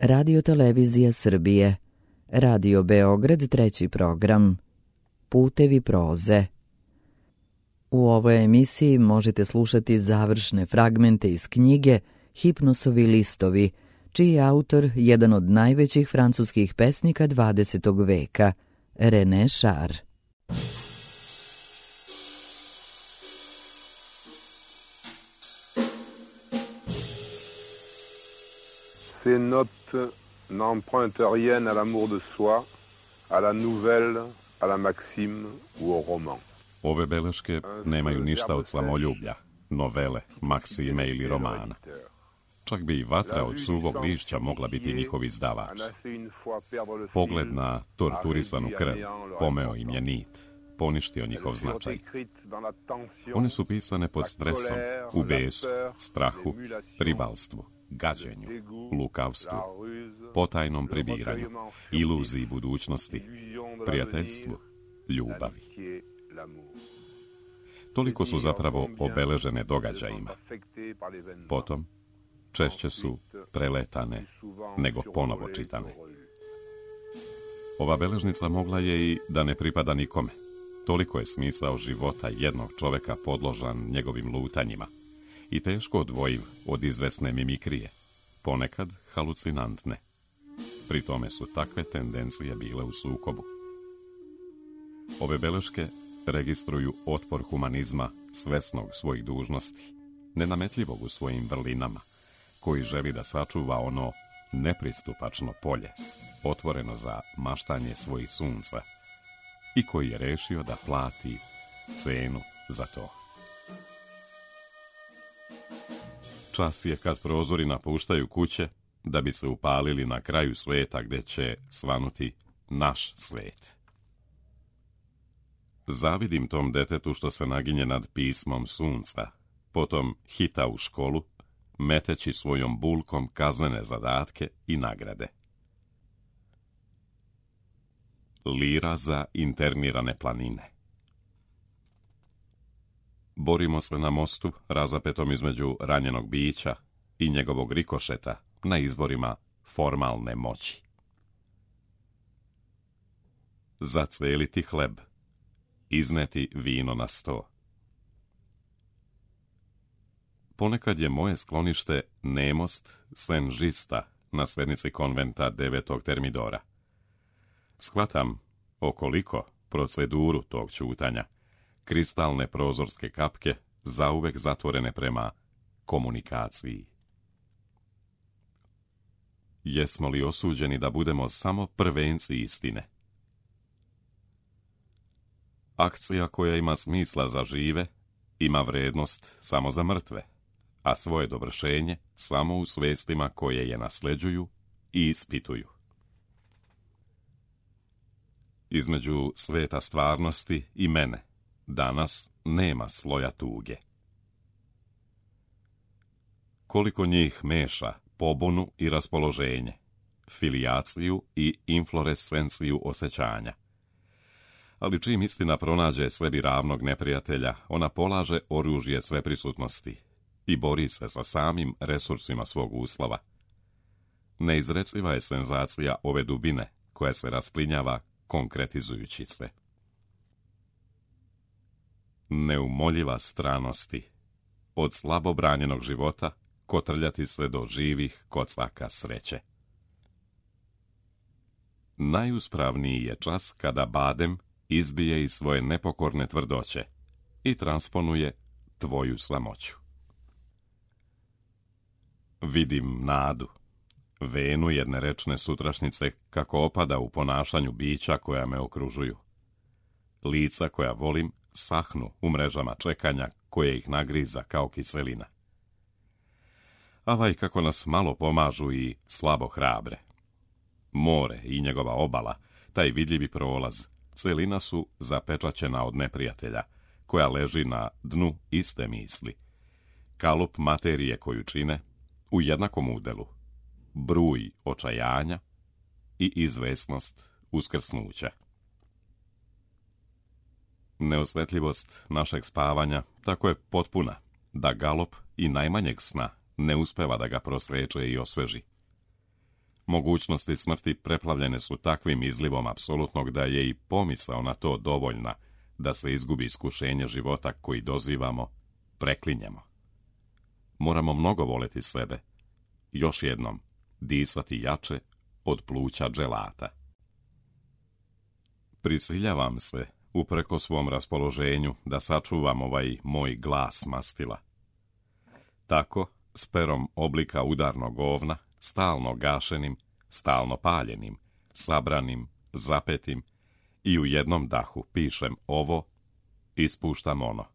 Radio Televizija Srbije, Radio Beograd, 3. program, Putevi proze. U ovoj emisiji možete slušati završne fragmente iz knjige Hipnosovi listovi, čiji je autor jedan od najvećih francuskih pesnika 20. veka, René Char. Ces notes n'empruntent rien à l'amour de soi, à la nouvelle, à la maxime ou au roman. Ove beleške nemaju ništa od samoljublja, novele, maksime ili romana. Čak bi i vatra od suvog lišća mogla biti njihov izdavač. Pogled na torturisanu krv pomeo im je nit, poništio njihov značaj. One su pisane pod stresom, u besu, strahu, ribalstvu, gađenju, lukavstvu, potajnom prebiranju, iluziji budućnosti, prijateljstvu, ljubavi. Toliko su zapravo obeležene događajima. Potom, češće su preletane nego ponovo čitane. Ova beležnica mogla je i da ne pripada nikome. Toliko je smisao života jednog čoveka podložan njegovim lutanjima i teško odvojiv od izvesne mimikrije, ponekad halucinantne. Pri tome su takve tendencije bile u sukobu. Ove beleške registruju otpor humanizma svesnog svojih dužnosti, nenametljivog u svojim vrlinama, koji želi da sačuva ono nepristupačno polje, otvoreno za maštanje svojih sunca, i koji je rešio da plati cenu za to. Čas je kad prozori napuštaju kuće da bi se upalili na kraju sveta gde će svanuti naš svet. Zavidim tom detetu što se naginje nad pismom sunca, potom hita u školu, meteći svojom bulkom kaznene zadatke i nagrade. Lira za internirane planine. Borimo se na mostu razapetom između ranjenog bića i njegovog rikošeta na izborima formalne moći. Zaceliti hleb, izneti vino na sto. Ponekad je moje sklonište nemost Saint-Žista na sednici konventa 9. Termidora. Shvatam okoliko proceduru tog ćutanja, kristalne prozorske kapke zauvek zatvorene prema komunikaciji. Jesmo li osuđeni da budemo samo prvenci istine? Akcija koja ima smisla za žive, ima vrednost samo za mrtve, a svoje dovršenje samo u svestima koje je nasleđuju i ispituju. Između sveta stvarnosti i mene danas nema sloja tuge. Koliko njih meša pobunu i raspoloženje, filijaciju i inflorescenciju osjećanja. Ali čim istina pronađe sebi ravnog neprijatelja, ona polaže oružje sveprisutnosti i bori se sa samim resursima svog uslova. Neizreciva je senzacija ove dubine koja se rasplinjava konkretizujući se. Neumoljiva stranosti, od slabo branjenog života kotrljati se do živih kocaka sreće. Najuspravniji je čas kada badem izbije iz svoje nepokorne tvrdoće i transponuje tvoju samoću. Vidim nadu, venu jedne rečne sutrašnjice kako opada u ponašanju bića koja me okružuju. Lica koja volim sahnu u mrežama čekanja koje ih nagriza kao kiselina. Avaj kako nas malo pomažu i slabo hrabre. More i njegova obala, taj vidljivi prolaz, celina su zapečaćena od neprijatelja, koja leži na dnu iste misli. Kalup materije koju čine u jednakom udelu, bruj očajanja i izvesnost uskrsnuća. Neosvetljivost našeg spavanja tako je potpuna da galop i najmanjeg sna ne uspeva da ga prosveče i osveži. Mogućnosti smrti preplavljene su takvim izlivom apsolutnog da je i pomisao na to dovoljna da se izgubi iskušenje života koji dozivamo, preklinjemo. Moramo mnogo voleti sebe, još jednom disati jače od pluća dželata. Prisiljavam se, upreko svom raspoloženju, da sačuvam ovaj moj glas mastila. Tako, s perom oblika udarnog ovna, stalno gašenim, stalno paljenim, sabranim, zapetim, i u jednom dahu pišem ovo, ispuštam ono.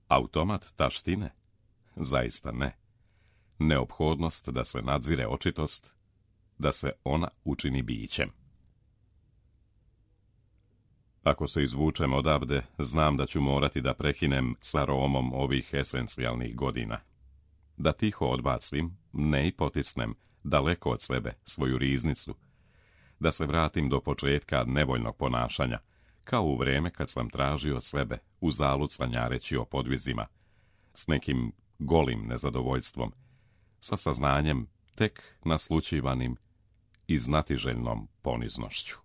Automat taštine? Zaista ne. Neophodnost da se nadzire očitost, da se ona učini bićem. Ako se izvučem odavde, znam da ću morati da prekinem sa romom ovih esencijalnih godina. Da tiho odbacim, ne i potisnem, daleko od sebe, svoju riznicu. Da se vratim do početka nevoljnog ponašanja, kao u vreme kad sam tražio sebe, uzalud sanjareći o podvizima, s nekim golim nezadovoljstvom, sa saznanjem tek naslućivanim i znatiželjnom poniznošću.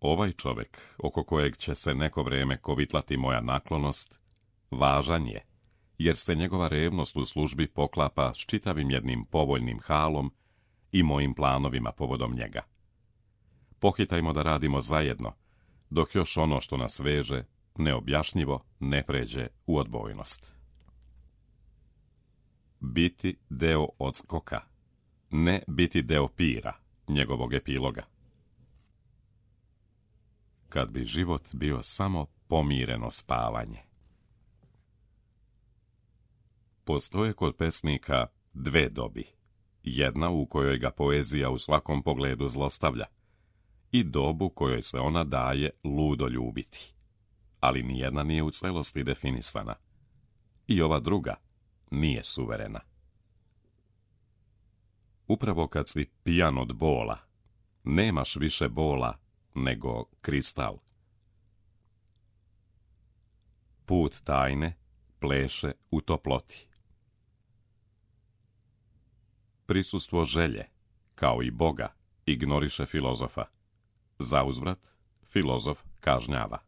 Ovaj čovjek, oko kojeg će se neko vrijeme kovitlati moja naklonost, važan je, jer se njegova revnost u službi poklapa s čitavim jednim povoljnim halom i mojim planovima povodom njega. Pohitajmo da radimo zajedno, dok još ono što nas veže, neobjašnjivo, ne pređe u odbojnost. Biti deo odskoka, ne biti deo pira, njegovog epiloga. Kad bi život bio samo pomireno spavanje. Postoje kod pesnika dve dobi. Jedna u kojoj ga poezija u svakom pogledu zlostavlja i dobu kojoj se ona daje ludo ljubiti. Ali nijedna nije u celosti definisana. I ova druga nije suverena. Upravo kad si pijan od bola, nemaš više bola nego kristal. Put tajne pleše u toploti. Prisustvo želje, kao i Boga, ignoriše filozofa. Zauzvrat, filozof kažnjava.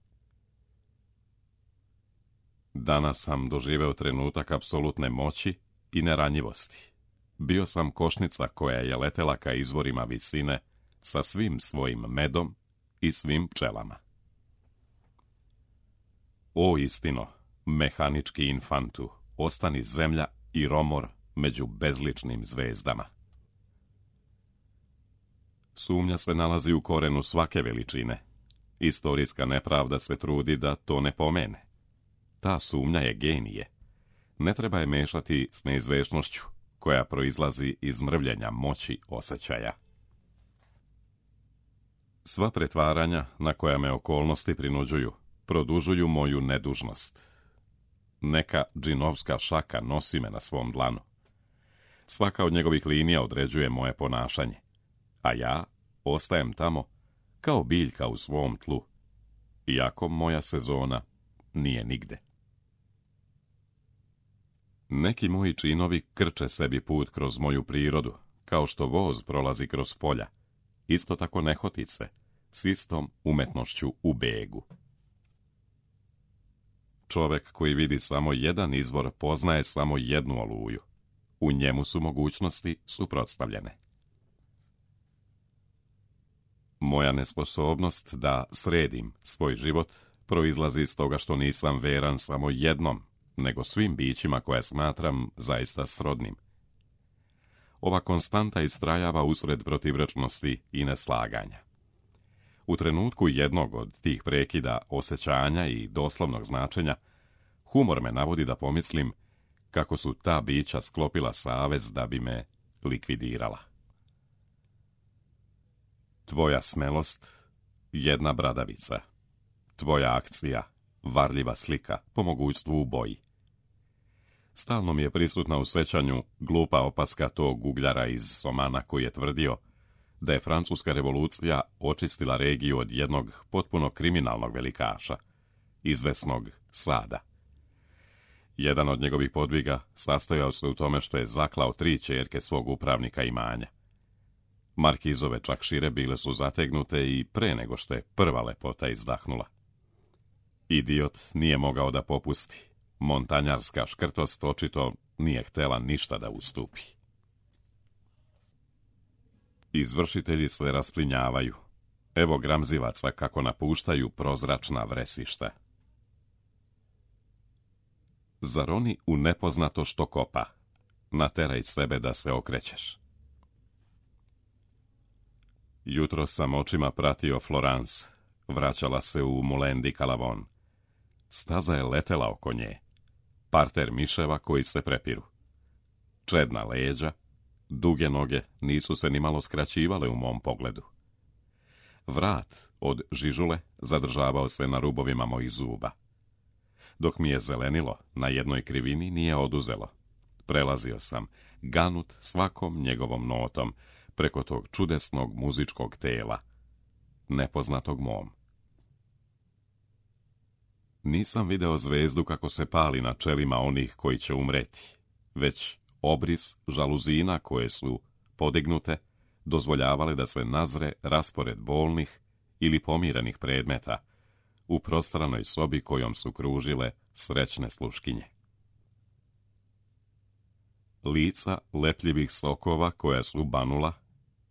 Danas sam doživeo trenutak apsolutne moći i neranjivosti. Bio sam košnica koja je letela ka izvorima visine sa svim svojim medom i svim pčelama. O istino, mehanički infantu, ostani zemlja i romor među bezličnim zvezdama. Sumnja se nalazi u korenu svake veličine. Istorijska nepravda se trudi da to ne pomene. Ta sumnja je genije. Ne treba je mešati s neizvešnošću, koja proizlazi iz mrvljenja moći osjećaja. Sva pretvaranja na koja me okolnosti prinuđuju, produžuju moju nedužnost. Neka džinovska šaka nosi me na svom dlanu. Svaka od njegovih linija određuje moje ponašanje, a ja ostajem tamo kao biljka u svom tlu, iako moja sezona nije nigde. Neki moji činovi krče sebi put kroz moju prirodu, kao što voz prolazi kroz polja, isto tako nehotice, s istom umetnošću u begu. Čovjek koji vidi samo jedan izvor poznaje samo jednu oluju. U njemu su mogućnosti suprotstavljene. Moja nesposobnost da sredim svoj život proizlazi iz toga što nisam veran samo jednom, nego svim bićima koje smatram zaista srodnim. Ova konstanta istrajava usred protivrečnosti i neslaganja. U trenutku jednog od tih prekida osjećanja i doslovnog značenja, humor me navodi da pomislim kako su ta bića sklopila savez da bi me likvidirala. Tvoja smelost, jedna bradavica. Tvoja akcija, varljiva slika, po mogućstvu u boji. Stalno mi je prisutna u sećanju glupa opaska tog ugljara iz Somana koji je tvrdio da je Francuska revolucija očistila regiju od jednog potpuno kriminalnog velikaša, izvesnog Sada. Jedan od njegovih podviga sastojao se u tome što je zaklao 3 ćerke svog upravnika imanja. Markizove čak šire bile su zategnute i pre nego što je prva lepota izdahnula. Idiot nije mogao da popusti. Montanjarska škrtost očito nije htjela ništa da ustupi. Izvršitelji se rasplinjavaju. Evo gramzivaca kako napuštaju prozračna vresišta. Zaroni u nepoznato što kopa. Nateraj sebe da se okrećeš. Jutro sam očima pratio Florence. Vraćala se u Moulin du Calavon. Staza je letela oko nje. Parter miševa koji se prepiru. Čedna leđa, duge noge nisu se nimalo skraćivale u mom pogledu. Vrat od žižule zadržavao se na rubovima mojih zuba. Dok mi je zelenilo, na jednoj krivini nije oduzelo. Prelazio sam, ganut svakom njegovom notom, preko tog čudesnog muzičkog tela, nepoznatog mom. Nisam video zvezdu kako se pali na čelima onih koji će umreti, već obris žaluzina koje su podignute, dozvoljavale da se nazre raspored bolnih ili pomirenih predmeta u prostranoj sobi kojom su kružile srećne sluškinje. Lica lepljivih sokova koja su banula,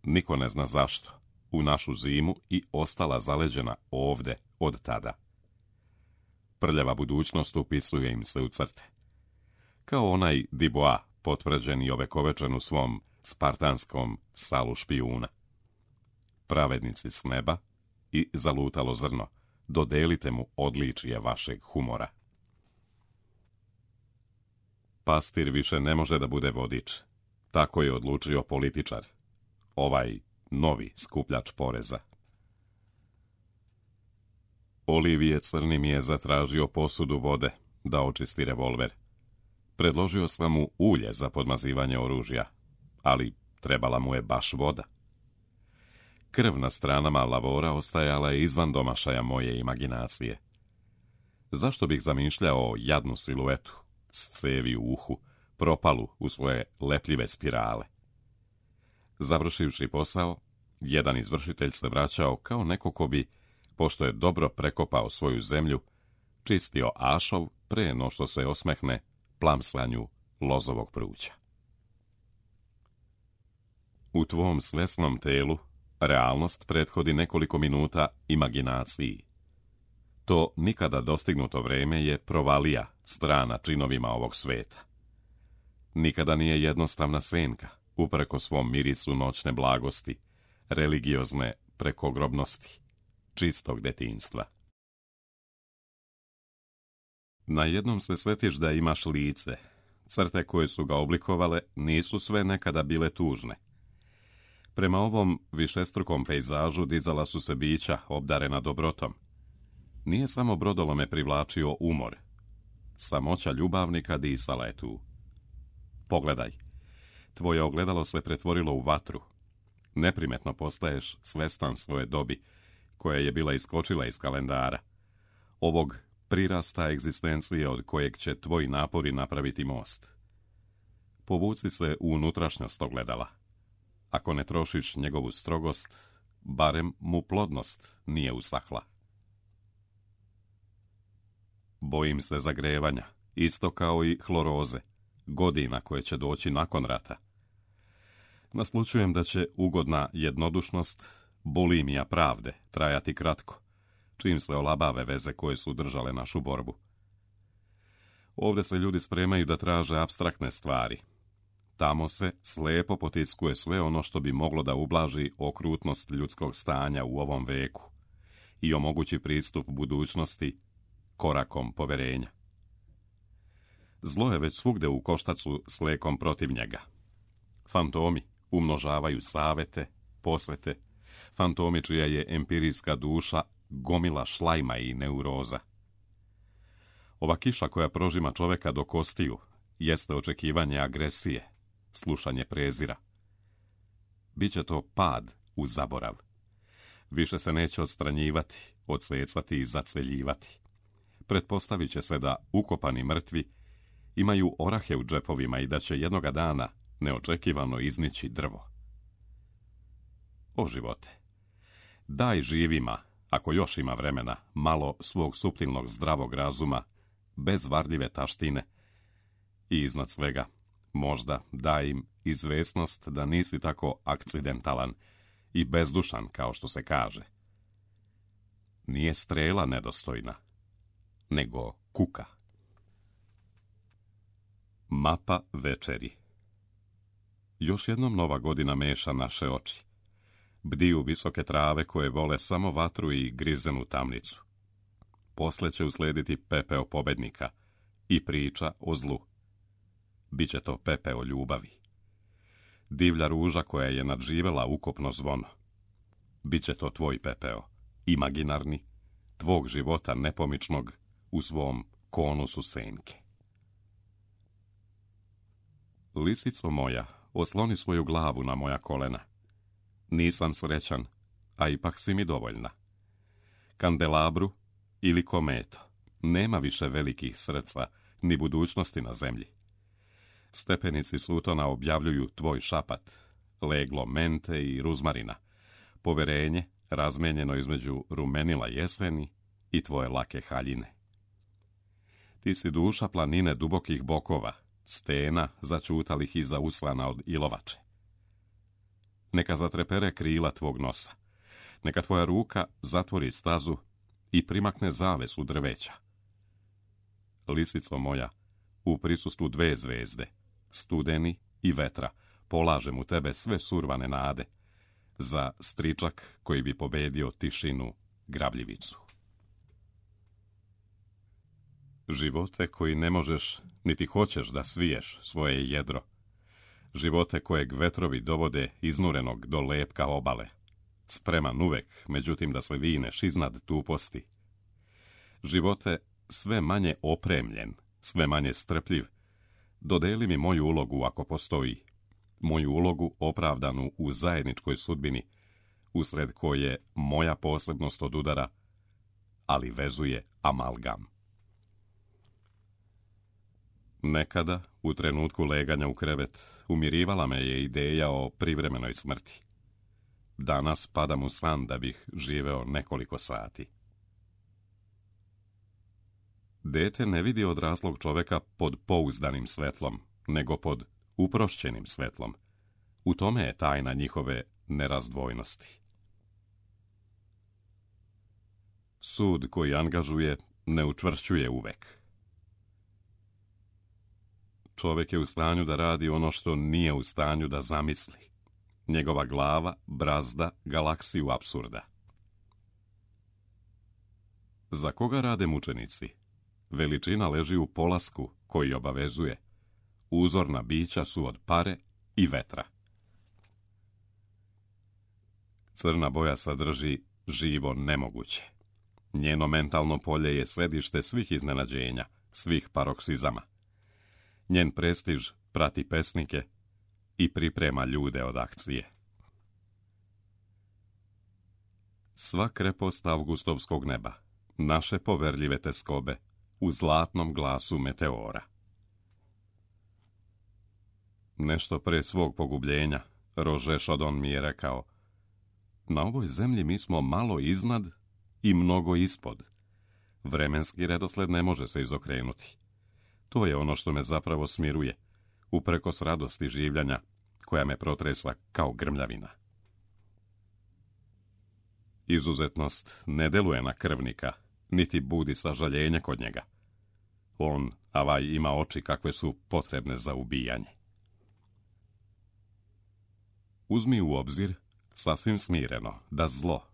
niko ne zna zašto, u našu zimu i ostala zaleđena ovde od tada. Prljava budućnost upisuje im se u crte. Kao onaj Dubois, potvrđen i ovekovečen u svom spartanskom salu špijuna. Pravednici s neba i zalutalo zrno, dodelite mu odličije vašeg humora. Pastir više ne može da bude vodič. Tako je odlučio političar. Ovaj novi skupljač poreza. Olivije Crni mi je zatražio posudu vode da očisti revolver. Predložio sam mu ulje za podmazivanje oružja, ali trebala mu je baš voda. Krv na stranama lavora ostajala je izvan domašaja moje imaginacije. Zašto bih zamišljao jadnu siluetu, s cevi u uhu, propalu u svoje lepljive spirale? Završivši posao, jedan izvršitelj se vraćao kao neko ko bi, pošto je dobro prekopao svoju zemlju, čistio ašov pre no što se osmehne plamsanju lozovog pruća. U tvom svesnom telu realnost prethodi nekoliko minuta imaginaciji. To nikada dostignuto vreme je provalija strana činovima ovog sveta. Nikada nije jednostavna senka, upreko svom mirisu noćne blagosti, religiozne prekogrobnosti, čistog detinjstva. Na jednom se setiš da imaš lice. Crte koje su ga oblikovale nisu sve nekada bile tužne. Prema ovom višestrukom pejzažu dizala su se bića obdarena dobrotom. Nije samo brodolome privlačio umor. Samoća ljubavnika disala je tu. Pogledaj, tvoje ogledalo se pretvorilo u vatru. Neprimetno postaješ svestan svoje dobi, koja je bila iskočila iz kalendara. Ovog prirasta egzistencije od kojeg će tvoji napori napraviti most. Povuci se u unutrašnjost ogledala. Ako ne trošiš njegovu strogost, barem mu plodnost nije usahla. Bojim se zagrevanja, isto kao i hloroze, godina koje će doći nakon rata. Naslučujem da će ugodna jednodušnost, bulimija pravde, trajati kratko, čim se olabave veze koje su držale našu borbu. Ovdje se ljudi spremaju da traže apstraktne stvari. Tamo se slepo potiskuje sve ono što bi moglo da ublaži okrutnost ljudskog stanja u ovom veku i omogući pristup budućnosti korakom poverenja. Zlo je već svugde u koštacu s lekom protiv njega. Fantomi umnožavaju savete, posvete, fantomi čija je empirijska duša gomila šlajma i neuroza. Ova kiša koja prožima čoveka do kostiju jeste očekivanje agresije, slušanje prezira. Biće to pad u zaborav. Više se neće odstranjivati, odsecati i zaceljivati. Pretpostavit će se da ukopani mrtvi imaju orahe u džepovima i da će jednoga dana neočekivano iznići drvo. O živote, daj živima, ako još ima vremena, malo svog suptilnog zdravog razuma, bez varljive taštine i iznad svega, možda daj im izvesnost da nisi tako akcidentalan i bezdušan kao što se kaže. Nije strela nedostojna, nego kuka. Mapa večeri. Još jednom nova godina meša naše oči. Bdiju visoke trave koje vole samo vatru i grizenu tamnicu. Posle će uslediti pepeo pobednika i priča o zlu. Biće to pepeo ljubavi. Divlja ruža koja je nadživela ukopno zvono. Biće to tvoj pepeo, imaginarni, tvog života nepomičnog u svom konusu senke. Lisico moja, osloni svoju glavu na moja kolena. Nisam srećan, a ipak si mi dovoljna. Kandelabru ili kometo, nema više velikih srca, ni budućnosti na zemlji. Stepenici Sutona objavljuju tvoj šapat, leglo mente i ruzmarina, poverenje razmenjeno između rumenila jeseni i tvoje lake haljine. Ti si duša planine dubokih bokova, stena začutalih iza uslana od ilovače. Neka zatrepere krila tvog nosa, neka tvoja ruka zatvori stazu i primakne zavesu drveća. Lisico moja, u prisustvu 2 zvezde, studeni i vetra, polažem u tebe sve survane nade, za stričak koji bi pobedio tišinu, grabljivicu. Živote koji ne možeš, niti hoćeš da sviješ svoje jedro. Živote kojeg vetrovi dovode iznurenog do lepka obale. Spreman uvek, međutim da se vineš iznad tuposti. Živote sve manje opremljen, sve manje strpljiv. Dodeli mi moju ulogu ako postoji. Moju ulogu opravdanu u zajedničkoj sudbini, usred koje moja posebnost odudara, ali vezuje amalgam. Nekada, u trenutku leganja u krevet, umirivala me je ideja o privremenoj smrti. Danas padam u san da bih živeo nekoliko sati. Dete ne vidi odraslog čoveka pod pouzdanim svetlom, nego pod uprošćenim svetlom. U tome je tajna njihove nerazdvojnosti. Sud koji angažuje ne učvršćuje uvek. Čovjek je u stanju da radi ono što nije u stanju da zamisli. Njegova glava brazda galaksiju apsurda. Za koga rade mučenici? Veličina leži u polasku koji obavezuje. Uzorna bića su od pare i vetra. Crna boja sadrži živo nemoguće. Njeno mentalno polje je središte svih iznenađenja, svih paroksizama. Njen prestiž prati pesnike i priprema ljude od akcije. Sva krepost avgustovskog neba, naše poverljive teskobe, u zlatnom glasu meteora. Nešto pre svog pogubljenja, Rože Šodon mi je rekao: na ovoj zemlji mi smo malo iznad i mnogo ispod. Vremenski redosled ne može se izokrenuti. To je ono što me zapravo smiruje, uprkos radosti življenja, koja me protresa kao grmljavina. Izuzetnost ne deluje na krvnika, niti budi sažaljenje kod njega. On, avaj, ima oči kakve su potrebne za ubijanje. Uzmi u obzir, sasvim smireno, da zlo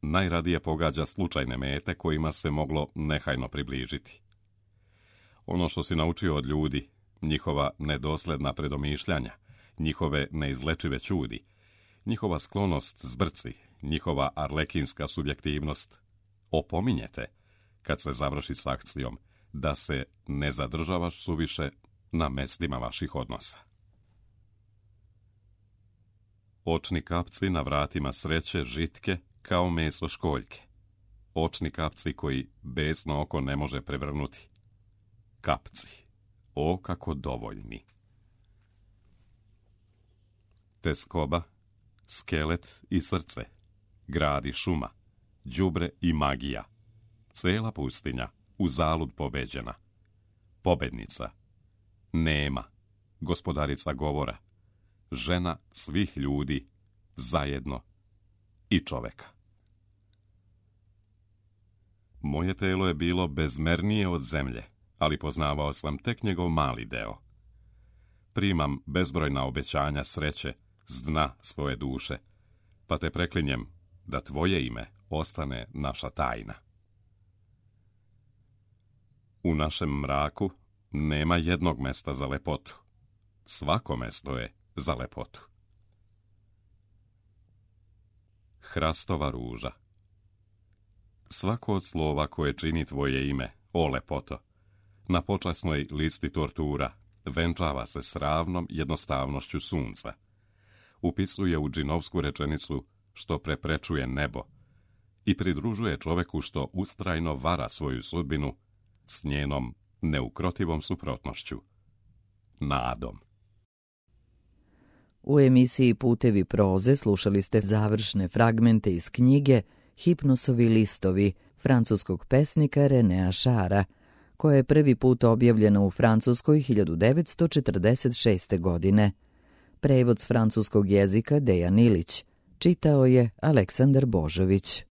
najradije pogađa slučajne mete kojima se moglo nehajno približiti. Ono što si naučio od ljudi, njihova nedosledna predomišljanja, njihove neizlečive ćudi, njihova sklonost zbrci, njihova arlekinska subjektivnost, opominjete, kad se završi s akcijom, da se ne zadržavaš suviše na mestima vaših odnosa. Očni kapci na vratima sreće žitke kao meso školjke. Očni kapci koji besno oko ne može prevrnuti. Kapci, o kako dovoljni. Teskoba, skelet i srce, grad i šuma, đubre i magija, cela pustinja, uzalud pobeđena, pobednica, nema, gospodarica govora, žena svih ljudi, zajedno i čoveka. Moje telo je bilo bezmernije od zemlje, ali poznavao sam tek njegov mali deo. Primam bezbrojna obećanja sreće s dna svoje duše, pa te preklinjem da tvoje ime ostane naša tajna. U našem mraku nema jednog mesta za lepotu. Svako mesto je za lepotu. Hrastova ruža. Svako od slova koje čini tvoje ime, o lepoto, na počasnoj listi tortura venčava se s ravnom jednostavnošću sunca. Upisuje u džinovsku rečenicu što preprečuje nebo i pridružuje čoveku što ustrajno vara svoju sudbinu s njenom neukrotivom suprotnošću, nadom. U emisiji Putevi proze slušali ste završne fragmente iz knjige Hipnosovi listovi francuskog pesnika Renéa Chara, koja je prvi put objavljena u Francuskoj 1946. godine. Prevod s francuskog jezika Dejan Ilić. Čitao je Aleksandar Božović.